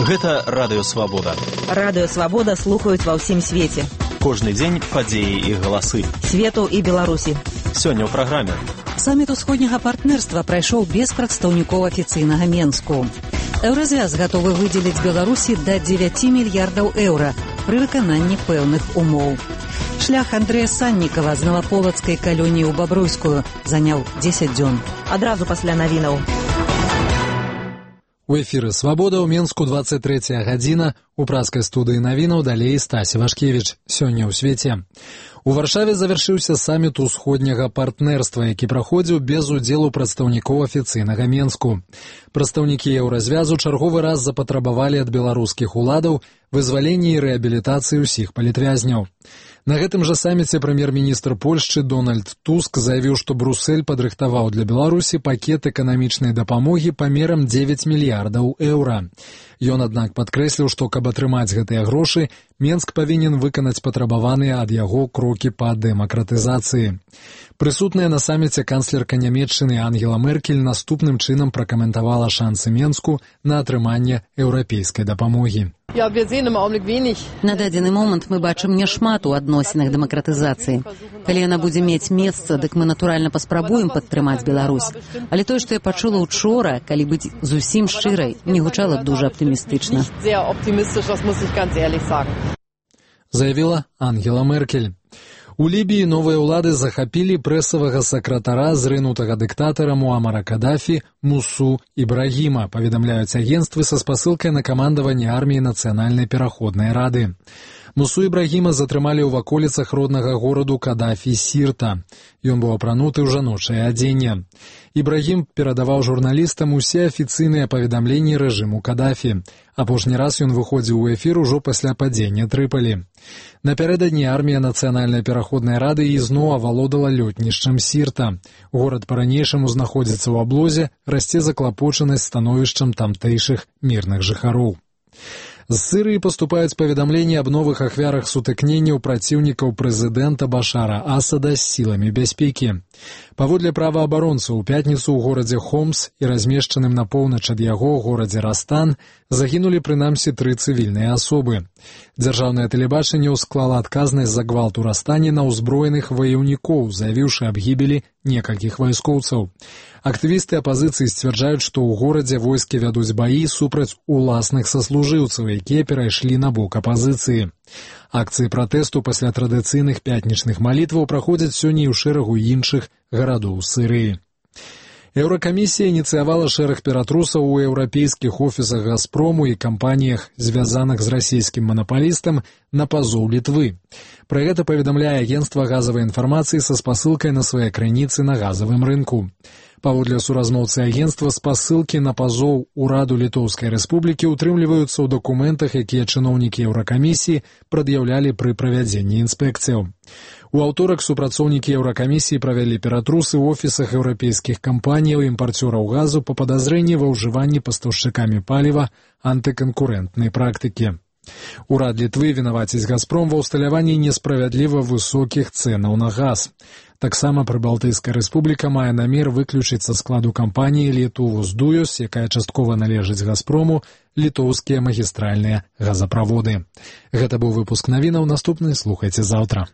Гэта Радыё Свабода. Радыё Свабода слухаюць ва ўсім свеце. Кожны дзень падзеі і галасы. Свету і Беларусі. Сёння ў праграме. Саміт усходняга партнерства прайшоў без прадстаўнікоў афіцыйнага Менску. Еўразвяз гатовы выдзеліць Беларусі да 9 мільярдаў еўра пры выкананні пэўных умоў. Шлях Андрэя Саннікава з Наваполацкай калоніі ў Бабруйскую заняў 10 дзён. Адразу пасля навінаў. У эфіры «Свабода» ў Менску 23 гадзіна. У праскай студыі навінаў далей Стасі Вашкевіч. Сёння ў свеце. У Варшаве завяршыўся саміт усходняга партнерства, які праходзіў без удзелу прадстаўнікоў афіцыйнага Менску. Прадстаўнікі еўразвязу чарговы раз запатрабавалі ад беларускіх уладаў вызвалення і рэабілітацыі ўсіх палітвязняў. На гэтым жа саміце прэм'ер-міністр Польшчы Дональд Туск заявіў, што Брюссель падрыхтаваў для Беларусі пакет эканамічнай дапамогі памерам 9 мільярдаў еўра. Ён, аднак, падкрэсліў, што каб атрымаць гэтыя грошы, Менск павінен выканаць патрабаваныя ад яго крокі па дэмакратызацыі. Прысутная на саміце канцлерка Нямецчыны Ангела Меркель наступным чынам пракаментавала шансы Менску на атрыманне еўрапейскай дапамогі. На дадзены момант мы бачым няшмат у адносінах дэмакратызацыі. Калі яна будзе мець месца, дык мы натуральна паспрабуем падтрымаць Беларусь. Але тое, што я пачула учора, калі быць зусім шчырай, не гучала дужа аптымістычна. Заявіла Ангела Меркель. У Лібіі новыя ўлады захапілі прэсавага сакратара зрынутага дыктатара Муамара Кадафі Мусу Ібрагіма, паведамляюць агенцтвы са спасылкай на камандаванне арміі Нацыянальнай пераходнай рады. Мусу Ібрагіма затрымалі ў ваколіцах роднага гораду Кадафі Сірта. Ён быў апрануты ў жаночае адзенне. Ібрагім перадаваў журналістам усе афіцыйныя паведамленні рэжыму Кадафі. Апошні раз ён выходзіў у эфір ужо пасля падзення Трыпалі. Напярэдадні армія Нацыянальнай пераходнай рады ізноў авалодала лётнішчам Сірта. Горад па-ранейшаму знаходзіцца ў аблозе, расце заклапочанасць становішчам тамтэйшых мірных жыхароў. З Сырыі паступаюць паведамленні аб новых ахвярах сутыкненняў праціўнікаў прэзідэнта Башара Асада з сіламі бяспекі. Паводле праваабаронцаў, у пятніцу ў горадзе Хомс і размешчаным на поўнач ад яго горадзе Растан загінулі прынамсі 3 цывільныя асобы. Дзяржаўнае тэлебачанне ўсклала адказнасць за гвалт у Растане на ўзброеных ваяўнікоў, заявіўшы аб гібелі некалькіх вайскоўцаў. Актывісты апазіцыі сцвярджаюць, што ў горадзе войскі вядуць баі супраць уласных саслужыўцаў, якія перайшлі на бок апазіцыі. Акцыі пратэсту пасля традыцыйных пятнічных малітваў праходзяць сёння і ў шэрагу іншых гарадоў Сырыі. Еўракамісія ініцыявала шэраг ператрусаў у еўрапейскіх офісах «Газпрому» і кампаніях, звязаных з расійскім манапалістам, на пазоў Літвы. Пра гэта паведамляе агенцтва газавай інфармацыі са спасылкай на свае крыніцы на газавым рынку. Паводле суразмоўцы агенцтва, спасылкі на пазоў ураду Літоўскай рэспублікі ўтрымліваюцца ў дакументах, якія чыноўнікі Еўракамісіі прад'яўлялі пры правядзенні інспекцыяў. У аўторак супрацоўнікі Еўракамісіі правялі ператрусы ў офісах еўрапейскіх кампаніяў і імпарцёраў газу па падазрэнні ва ўжыванні пастаўшчыкамі паліва антыканкурэнтнай практыкі. Урад Літвы вінаваціць «Газпром» ва ўсталяванні несправядліва высокіх цэнаў на газ. Таксама Прыбалтыйская рэспубліка мае намер выключыць са складу кампаніі «Літуву-Здуюс», якая часткова належыць «Газпрому», літоўскія магістральныя газаправоды. Гэта быў выпуск навінаў. Наступны слухайце заўтра.